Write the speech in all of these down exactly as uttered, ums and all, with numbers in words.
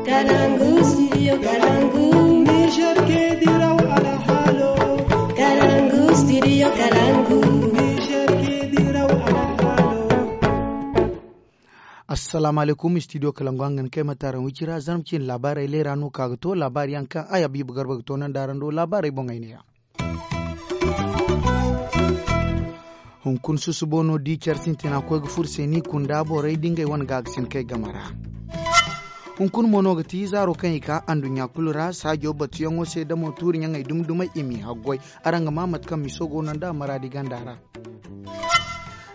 Kalangu, studio Kalangu. Niger ke diraw alhalo. Kalangu, studio Kalangu. Niger ke diraw alhalo. Assalamu alaikum, studio Kalangu, hangan kay ma taran wicira, zarma cin labarai lera no ka ga to, labari yaŋ kaŋ ay Habibu Garba ga to nan da araŋ do, labarai boŋ ay ne ya. Hunkuna susubo no di care sintina koy ga furo se ni kunda borey da ngey wane gaagasin kay game ra. Hunkuna mo no ga ti zaaro kaŋ i ka anduɲɲa kulu ra saajo batuyaŋo se damo tuuri ɲaŋey dumi-dumey i m'i haggoy. Araŋ ga maa mate kaŋ miso go no nda maraadi ganda ra.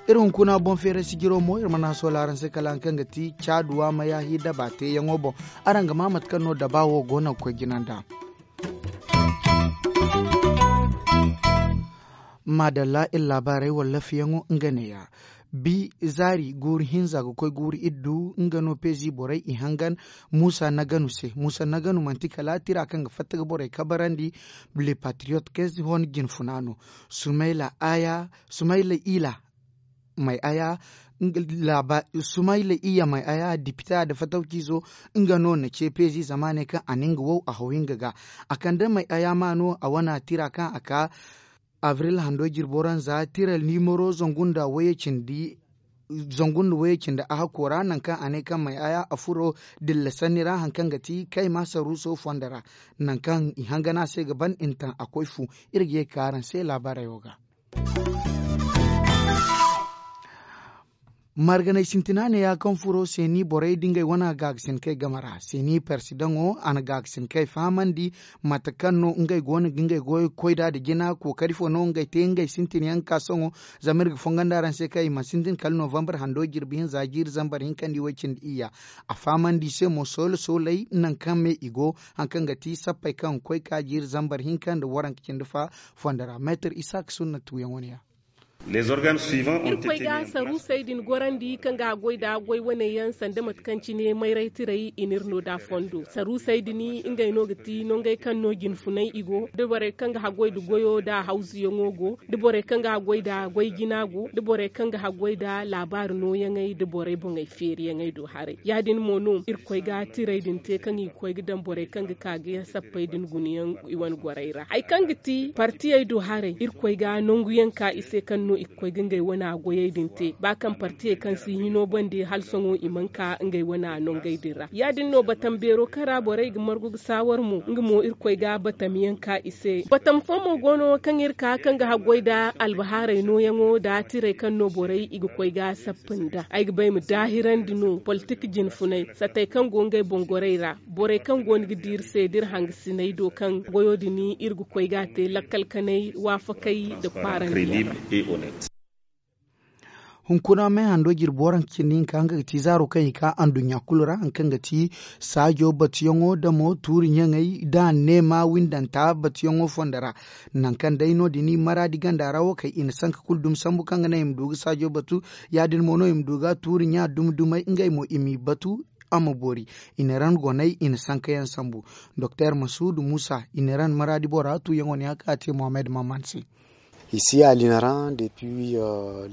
Iri hunkuna boŋ feeray sijiro mo iri mana soola araŋ se kala haŋ kaŋ ga ti caaduwa mayahi daba teeyaŋo boŋ. Araŋ ga maa mate kaŋ no daba wo go no ga koy jina nda. Maadalla iri laabaarey wala lafiyaŋo nga neeya. Bi zaari guuru hinza ga koy guuru iddu nga no peezi borey i hangan. Muusa naganu se muusa naganu manti kala tira kaŋ ga fatta ga borey kabarandi. Le patriyot kez hon jinfuna no. Sumayla aya sumayla ila may aya. Sumayla iya may aya dipita da fatawcizo nga no na ce peezi zama ne kaŋ a na nga wow a haw hinga ga. A kande may aya ma no a wana tira kaŋ a ka abril hando jirbo ra nza tira nimero zangu nda wayey cindi a hakko ra nangu kaŋ a ne kaŋ may aya a furo dilla sanni ra hari kaŋ ga ti kayma saruuso fondo ra. Nangu kaŋ i hangan a se ga ban i na taŋ a koy fu. Iri ga ye ga ka araŋ se laabaarey wo ga. Marganay sintina neeya kaŋ furo seeni borey da ngey wane gaagasin kay game ra seeni persidaŋo a na gaagasin kay fahamandi. Mate kaŋ no ngey go no ga ngey goyo koy nd'a nda jina kookari fo no ngey te ngey sintin yaŋ ga ka sohõ. Zama iri ga fongandi araŋ se kaŋ i mana sintin kala novambar hando jirbi hinza jiiri zambar hinkandi way-cindi iyya. A fahamandi i se mo soolo sooley nangu kaŋ me i go. Hari kaŋ ga ti sappey kaŋ ga koy ka jiiri zambar hinka nda waranka cindi fa fondo ra meetar isaak sunna tuuyaŋ wane ya. Iri koy ga saruusey din gorandi kaŋ ga haggoy nda goy wane yaŋ sanda mate kaŋ cine mayray tiray i n'iri no nd'a fondo saruusey din ngey no ga ti nongey kaŋ no jinfunay i go da borey kaŋ ga haggoy nda goyo nda hawzuyaŋo go da borey kaŋ ga haggoy nda goy jina go da borey kaŋ ga haggoy nda laabaari nooyaŋey da borey boŋey feeriyaŋey do haray ya- din mo no iri koy ga tirey din te kaŋ i ga koy ga daŋ borey kaŋ ga ka ga sappey din guna yaŋ i wane gorey ra hari kaŋ ga ti partiyey do haray iri koy ga nangu yaŋ ka i se kaŋ no i ga koy ga ngey wane goyey din te ba kaŋ partiyey kaŋ si hino bande hala sohõ i mana ka ngey wane nongey din ra ya- din no batam beero kaŋ ra borey ga margu ga saawar mo nga mo iri koy ga batam yaŋ ka i se batam fo mo go no kaŋ iri ka kaŋ ga haggoy nda albahaarey nooyaŋo nda tirey kaŋ no borey i ga koy ga sappa nda ay ga ba ay ma daahirandi no politik jinfunay sattey kaŋ go ngey boŋ gorey ra borey kaŋ go no ga di iri se da iri hangasiney do kaŋ goyo din iri ga koy ga a te lakkal kanay waafakay nda kwaarandi yaŋ ra. Hunkuna me hando jirbi waranka cindi hinka nga ga ti zaaro kaŋ i ka anduɲɲa kulu ra hari kaŋ ga ti saajo batuyaŋo damo tuuri ɲaŋey da neema windanta batuyaŋo fondo ra. Nangu kaŋ day no- din maraadi ganda ra wo kay i na sanka kulu dumi sambu kaŋ ga naŋ i ma du ga saajo batu ya- din mo no i ma du ga tuuri ɲa dumi dumey ngey mo i m'i batu. A ma boori i na ran goney i na sanka yaŋ sambu. Doktor masuudu muusa i na ran maraadi bora tuuyaŋo ne a ka a te mohammed maman se. Isi a linaran depuis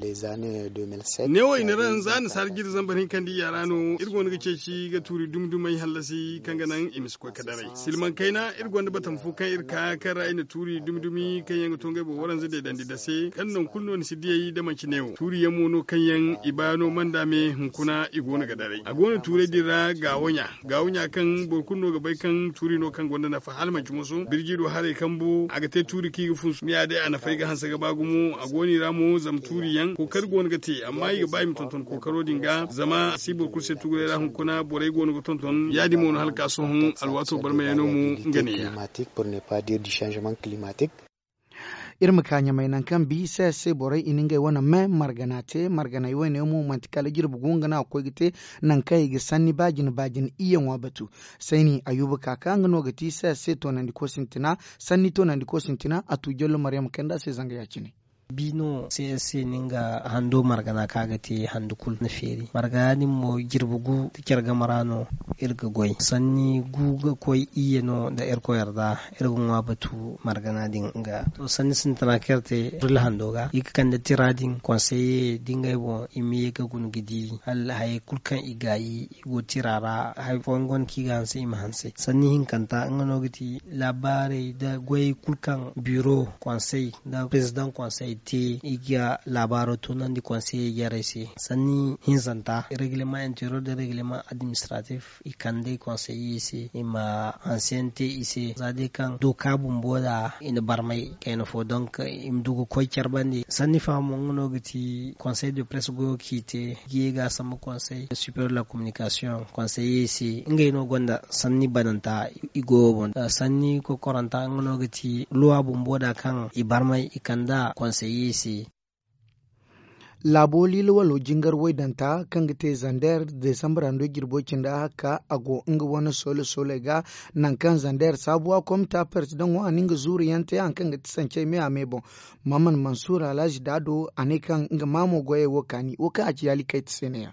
les annees deux mille sept neewo i na ran za nasaara jiri zambar hinka nda iyya ra no iri go no ga ceeci ga tuuri dumi dumey hallasi kaŋ ga naŋ i ma si koy ga daray silmaŋ kayna iri gonda batam fo kaŋ iri ka kaŋ ra i na tuuri dumi dumi kaŋ yaŋ ga to ngey boŋ waranza deedandi dase kaŋ nangu kulu no ni si diyey da manci neewo tuuri yaŋ mo no kaŋ yaŋ i ba no manda me hunkuna i go no ga daray a go no tuurey din ra gaawo ɲa gaawo ɲa kaŋ boro kulu no ga bay kaŋ tuuri no kaŋ gonda nafa hala manci moso birji do haray kambu a ga te tuuri kaŋ i ga funsu ni ya day a nafay ga hanse ga ba gumo a go no i ra mo zama tuuri yaŋ kookari go no ga te amma i ga ba i ma tonton kookaro din ga zama a si boro kulu se tuguray ra hunkuna borey go no ga tonton ya- din mo no hala ka sohõ alwaato barmayano mo nga ne ya. Iri ma ka ɲamay nangu kaŋ bi se se borey i na ngey wane me margana te marganay wane mo manti kala jirbi gu nga no a ga koy ga te nangu kaŋ i ga sanni ba jine ba jine iyyaŋo batu. Sayni ayuba ka ka nga no ga ti se se toonandiko sintina sanni toonandiko sintina a tu jallo maryama kanda se zanga ya- cine. Bi no c s c no nga hando margana kaŋ a ga te handu kulu na feeri margana din mo jirbi gu da care game ra no. Iri ga goy sanni gu ga koy iyye no nda irkoy yarda. Iri ga ŋwa batu margana din ga to sanni sintina kaŋ iri te burla hando ga i ga kande tira din konseye da ngey boŋ i ma ye ga guna ga di hala hayey kulu kaŋ i gaayi i go tira ra hari fooyaŋ go no kaŋ i ga hanse i ma hanse sanni hinkanta nga no ga ti laabaarey nda goyey kulu kaŋ biro konsey nda perezidaŋ konsey te i ga laabaaro tunandi konseyey jarey se. Sanni hinzanta regleman interior nda regleman administratif i kande konseyey se i ma hanseyaŋ te i se za day kaŋ dooka bumbo nda i na barmay kayna fo donk i ma du ga koy care bande sanni fahamo nga no ga ti konsey de press goyo kaŋ i te ga ye ga a sambu konsey superior de la communication konseyey se ngey no gonda sanni bananta i goyo boŋ sanni kokoranta nga no ga ti luwa bumbo da kaŋ i barmay i kand'a konseyey se. Laabo liila walo jingar waydanta kaŋ ga te zander desambra nda jirbo cindi ahakka a go nga wane soole sooley ga. Nangu kaŋ zander saabuwa komita persidaŋo a na nga zuuru yaŋ te hari kaŋ ga ti sancey me a me boŋ. Maman mansuur alhazi daado a ne kaŋ nga maamo goyey wo kaani wo kaŋ a ci yaalikayte se ne-ya.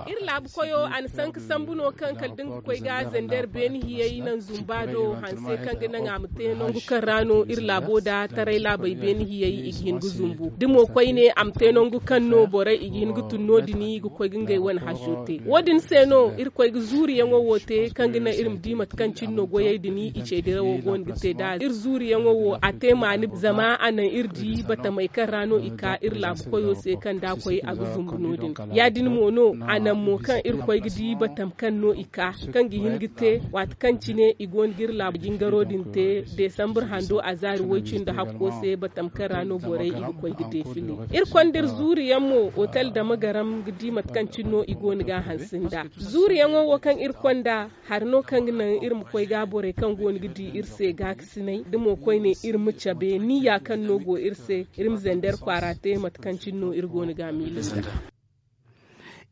Iri laabu koyo a na sanka sambu no kaŋ kala da nga ga koy ga zander beene hiyey naŋ zumba do hanse kaŋ ga naŋ a ma te nangu kaŋ ra no iri laabo da taray laabey beene hiyey i ga hin ga zumbu da mo koyne a ma te nangu kaŋ no borey i ga hin ga tun no- din i ga koy ga ngey wane haso te wo- din se no iri koy ga zuuriyaŋo wo te kaŋ ga naŋ iri ma di mate kaŋ cine no goyey din i ce dirawo go no ga te nd'a iri zuuriyaŋo wo a te maani zama a naŋ iri di batamey kaŋ ra no i ka iri laabu koyo se kaŋ da a koy a ga zumbu no- din. Ya- din mo no a naŋ mo kaŋ iri koy ga di batam kaŋ no i ka kaŋ ga hin ga te waati kaŋ cine i go no ga iri laabu jingaro din te desambur hando a zaari woy cindi hakko se batam kaŋ ra no borey i ga koy ga defile. Iri konda iri zuuriyaŋ mo otel dama garam ga di mate kaŋ cine no i go no ga a hanse nd'a. Zuuriyaŋo wo kaŋ iri konda hari no kaŋ ga naŋ iri ma koy ga borey kaŋ go no ga di iri se gaakasinay da mo koyne iri ma cabe niyya kaŋ no go iri se iri ma zander kwaara te mate kaŋ cine no iri go no ga a miila nd'a.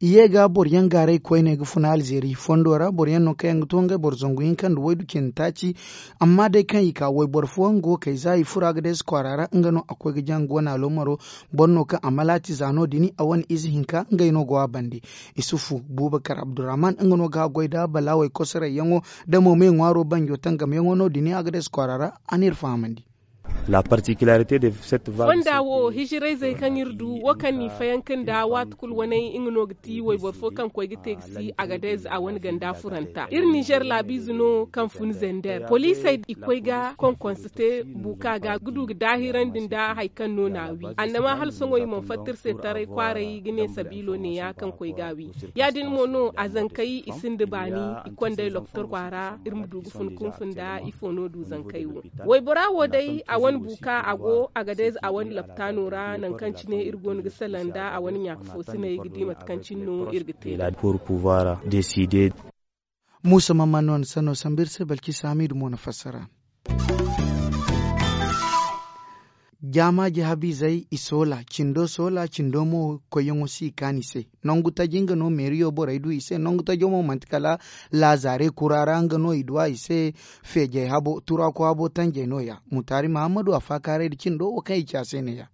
I ye ga boro yaŋ gaaray koyne ga funa alzeeri fondo ra boro yaŋ no kaŋ yaŋ ga to ngey boro zangu hinka nda waydu cindi taaci. Amma day kaŋ i ka wayboro fooyaŋ go kay za i furo agades kwaara ra nga no a koy ga jaŋ ga wane aloomaro. Boro no kaŋ a malaati za no- din a wane ize hinka ngey no go a bande. Isufu bubakar abdurrahman nga no ga a goy nda balaawey kosorayyaŋo nda mo me ŋwaaro banjo tangamyaŋo no- din agades kwaara ra. A n'iri fahamandi. Fonda wo hijirayzey kaŋ iri du wo kaŋ n'i fayanka nda waati kulu waney nga no ga ti wayboro fo kaŋ koy ga te ga si agadez a wane ganda furanta iri nizer laabiize no kaŋ fun zender poliisey i koy ga konkonse te buuka ga ga du ga daahirandi nda hari kaŋ no n'a wi annama hala sohõ i mana fatta iri se taray kwaaray ga ne sabiilo neeya kaŋ koy ga a wi. Ya- din mo no a zankey i sinda baani i kondey lokotor kwaara iri ma du ga fun kunfu nda ifo no du zankey wo. Waybora wo day a wane buuka a go agadez a wane laptaano ra nangu kaŋ cine iri go no ga salaŋ nda a wane ɲaaka foosiney ga di mate kaŋ cine no iri ga te. Muusa mamman no na sanno sambu iri se balkisa hamiidu mo na fassara. Jaamaaji habiizey i soola cindo soola cindo mo koyyaŋo si i kaanu i se. Nangu taji nga no meeriyo borey du i se nangu tajo mo manti kala laazaare kura ra nga no i du a i se. Feejey habo turaku habo tanjey no- ya. Mutaari mahammadu a faakaaray nda cindo wo kaŋ i ci a se ne- ya.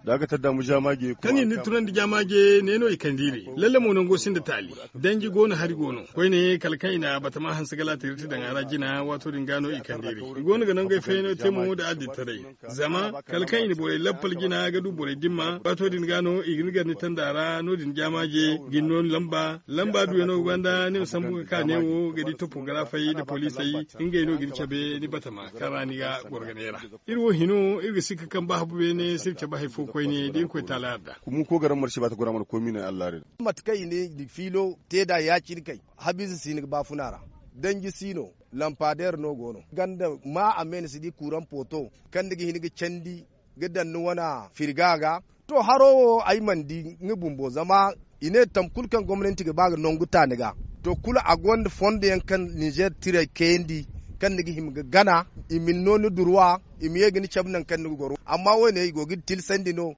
Kaŋ i na ni tunandi jaamaaje ne no i kande iri lalle mo nango sinda taali. Danji go no hari go no koyne kala kaŋ i na batama hanse galaati iri ti daŋ a ra jina waato din ga no i kande iri i go no ga nangey fayyaŋo te mo nda adilitaray. Zama kala kaŋ i na borey lappal jina ga du borey dimma waato din ga no i ga ni gar ni tanda ra no- din jaamaaje ga ni no ni lamba lamba duyaŋo ga banda ni ma sambu ga ka neewo ga di topogarafey nda poliisey. Ngey no ga ni cabe ni batama kaŋ ra ni ga goro ga neera. Iri wo hino iri ga sikka kaŋ ba habu beene si iri cabe hari fo koyne da irkoy taala yarda. Kumu ko garam marsi ba ta gora mana koy mino allah rida. Mate kaŋ i ne fiilo te nd'a ya-cine kay habiize si ni ga baafuna ra. Danji si no lampadeer no go no ganda ma a me ni si di kuuraŋ pooto kaŋ ni ga hin ga candi ga daŋ ni wane firga ga. To haro wo ay mana di nga bumbo zama i ne tambu kulu kaŋ gomnanti ga ba ga nangu ta ni ga. To kulu a gonda fondo yaŋ kaŋ ninzeer tirey kayandi kaŋ ni ga hima ga gana i ma ni no ni durwa i ma ye ga ni cabe nangu kaŋ ni ga goro amma wo- ne i go ga ni tilsandi no.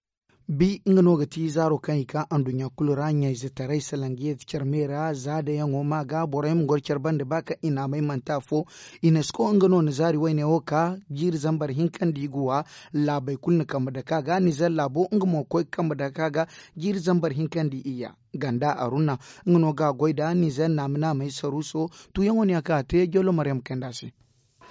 Bi nga no ga ti zaaro kaŋ i ka anduɲɲa kulu ra ɲayzetaray salaŋ ga yeeti care me ra za dayaŋo ma ga boro yaŋ ma goro care bande ba kaŋ i naamay manti afo. Unesco nga no na zaari wayne wo ka jiiri zambar hinka nda i ga wa. Laabey kulu na kambe dake a ga nizer laabo nga mo ga koy ga kambe dake a ga jiiri zambar hinka nda iyya. Ganda aruna nga no ga a goy nda nizer naama naamey saruuso. Tuuyaŋo no ya kaŋ a te jollo maryam kayndi a se.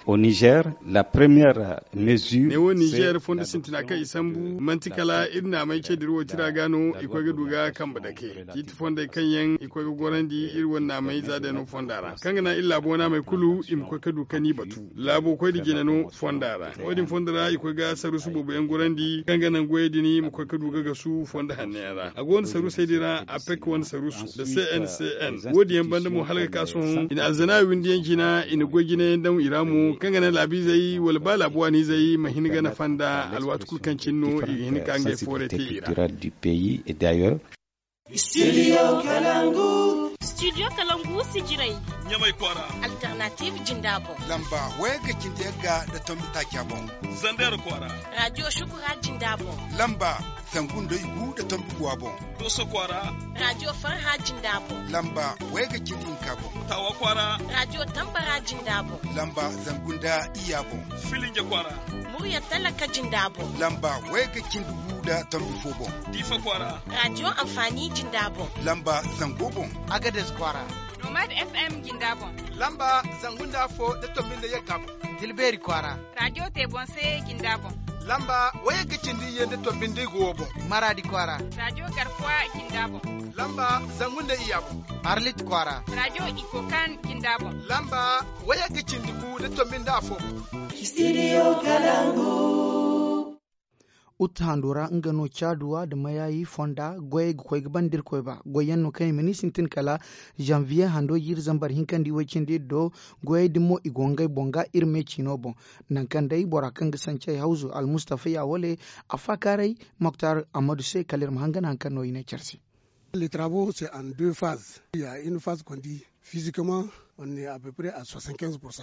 Au nizer la première mesure. Neewo nizer fondo sintina kaŋ i sambu manti kala iri naamey ce dira wo tira ga no i koy ga du ga kambe dake. Ciiti fondey kaŋ yaŋ i koy ga gorandi iri wane naamey za day no fonda ra kaŋ ga naŋ iri laabo naamey kulu i ma koy ga du ga ni batu. Laabo koy nda jine no fonda ra. Wo- din fondo ra i koy ga saruusu boobo yaŋ gorandi kaŋ ga naŋ goyey din i ma koy ga du ga gasu fondo hanno yaŋ ra. A go no saruusey din ra apec wane saruusu nda c n c n. Wo- din yaŋ banda mo hala ga ka sohõ i na alzana windi yaŋ jina i na goy jine yaŋ daŋ i ra mo kaŋ ga naŋ laabiizey wala ba laabu waaniizey ma hin ga nafa nda alwaati kulu kaŋ cine no i ga hin ga ka ngey foorey te i ra. Studio kalangu. Studio kalangu sijirey. Ɲamay kwaara. Alternative jinda boŋ. Lamba wayga cindi yagga nda tombi taaca boŋ. Zander kwaara. Radio shukura jinda boŋ. Lamba zangu nda igu nda tombi guwa boŋ. Doso kwaara. Radio farha jinda boŋ. Lamba wayga cindi hinka boŋ. Tawa kwaara. Radio tambara jinda boŋ. Lamba zangu nda iyya boŋ. Filinja kwaara. Murya talaka jinda boŋ. Lamba wayga cindi gu nda tombi fo boŋ. Difa kwaara. Radio amfani jinda boŋ. Lamba zango boŋ. Agades kwaara. Nomad f m jinda boŋ. Lamba zangu nda afo nda tombi nda yagga boŋ. Tilbeeri kwaara. Radio te boŋ se jinda boŋ. Lamba wayga cindi iyye nda tombi nda igu wo boŋ. Maradi kwaara. Radio garkuwa jinda boŋ. Lamba zangu nda iyya boŋ. Arlit kwaara. Radio ikokan jinda boŋ. Lamba wayga cindi gu nda tombi nda afo boŋ. Studio kalangu. Utu hando ra nga no caaduwa nda mayayi fonda goyey ga koy ga banda irkoy ba goy yaŋ no kaŋ i ma ni sintin kala janvier hando jiiri zambar hinka nda iway cindi iri do. Goyey din mo i go ngey boŋ ga iri me ciino boŋ. Nangu kaŋ day bora kaŋ ga sancey hawzu almustafa ya wale a faakaaray moktar ammadu se kala iri ma hangan hari kaŋ no i ne care se. Les travaux c'est en deux phases, il y a une phase qu'on dit physiquement on est à peu près à soixante-quinze pour cent.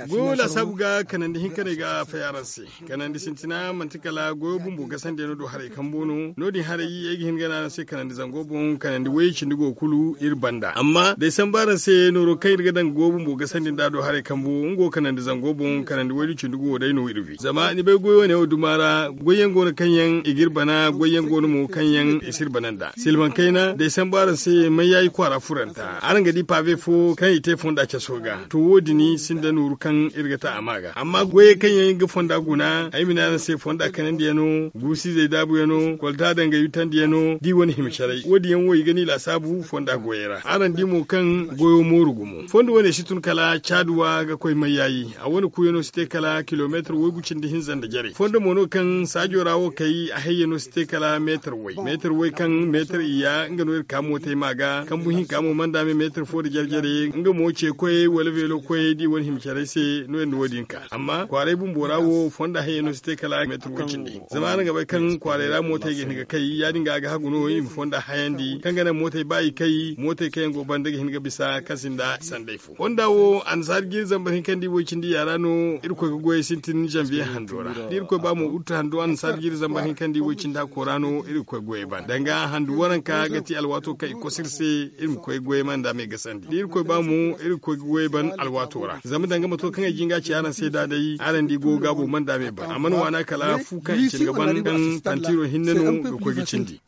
Goyo lasaabu ga kanandi hinka ne ga fay araŋ se. Kanandi sintina manti kala goyo bumbo gasandi yaŋ no do haray kambo no no- din haray ay ga hin ga ne araŋ se kanandi zango boŋ kanandi wayey cindi go kulu iri banda amma day sambu araŋ se nooro kaŋ iri ga daŋ ga goyo bumbo gasandi nda do haray kambo nga wo kanandi zango boŋ kanandi waydu cindi go wo day no iri wi zama ni bay goyo ne wo duma ra goyyaŋ go no kaŋ yaŋ i ga iri bana goyyaŋ go no mo kaŋ yaŋ i si iri bana nda silmaŋ kayna day sambu araŋ se mayyayi kwaara furanta araŋ ga di pave fo kaŋ i te fonda caso ga to wo- din sinda nooru kaŋ iri ga ta a ma ga amma goyey kaŋ yaŋ ga fonda guna ay ma ne araŋ se fonda kanandi yaŋ no guusu izey daabu yaŋ no kolta dangay yutandi yaŋ no da i wane hima caray wo- din yaŋ wo i ga ni laasaabu fonda goyey ra araŋ di mo kaŋ goyo mooru gumo fondo wane si tun kala caaduwa ga koy mayyayi a wane kuuyano si te kala kilomeetar waygu cindi hinza nda jarey fondo mo no kaŋ saajo ra wo kay a hayyano si te kala meetar way meetar way kaŋ meetar iyya nga no iri ka mootey ma ga kambu hinka mo manda me meetar fo nda jare-jare nga mo ce koyey wala veelo koyey da i wane hima caray se no iri na wo- din ka amma kwaaray bumbo ra wo fonda hayyano si te kala meetar way cindi zama araŋ ga bay kaŋ kwaaray ra mootey ga hin ga kay ya- din ga a ga hagu no i ma fonda hayandi kaŋ ga naŋ mootey ba i kay mootey kaŋ yaŋ go banda ga hin ga bisa kaŋ sinda sanday fo fonda wo annasaari jiiri zambar hinka nda i way cindi yaara no irkoy ga goyey sintin janvier hando ra da irkoy ba mo utu hando annasaari jiiri zambar hinka nda i way cindi hakko ra no iri ga koy goyey ban danga handu waranka ga ti alwaato kaŋ i koso iri se iri ma koy goyey manda me gasandi da irkoy ba mo iri ga koy goyey ban alwaato ra zama danga mato kaŋ ay jinga ci araŋ se da day araŋ di go gaabo manda me ban a mana waana kala fu kaŋ i cin ga ban kaŋ pantiro hinne no ga koy ga cindi.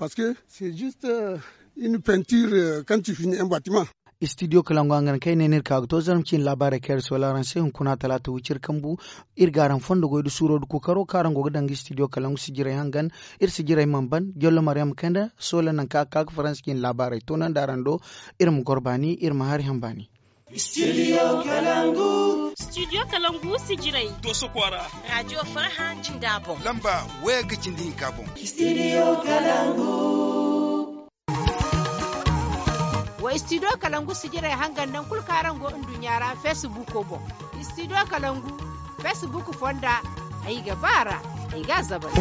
Une peinture, euh, quand tu finis un bâtiment. Studio kalangu hangan kaŋ ay ne no iri ka ga to zarma ciine laabaarey kaŋ iri soola araŋ se hunkuna talaata wiciri kambu. Iri ga araŋ fondo goy nda suuro nda kookaro kaŋ araŋ go ga daŋ ga studio kalangu sijirey hangan iri sijirey mana ban jollo maryam kayna soola nangu kaŋ a ga ka ga faransa ciine laabaarey toonandi araŋ do. Iri ma goro baani iri ma hari hã baani. Studio kalangu. Studio kalangu sijirey. Doso kwaara. Radio farha jinda boŋ. Lamba waya ga cindi hinka boŋ. Studio kalangu. Wa studio kalangu sijirey hangan nangu kulu kaŋ araŋ go nduɲɲa ra facebook boŋ. Studio kalangu facebook fonda. Ay ga ba ra ay ga a zabari.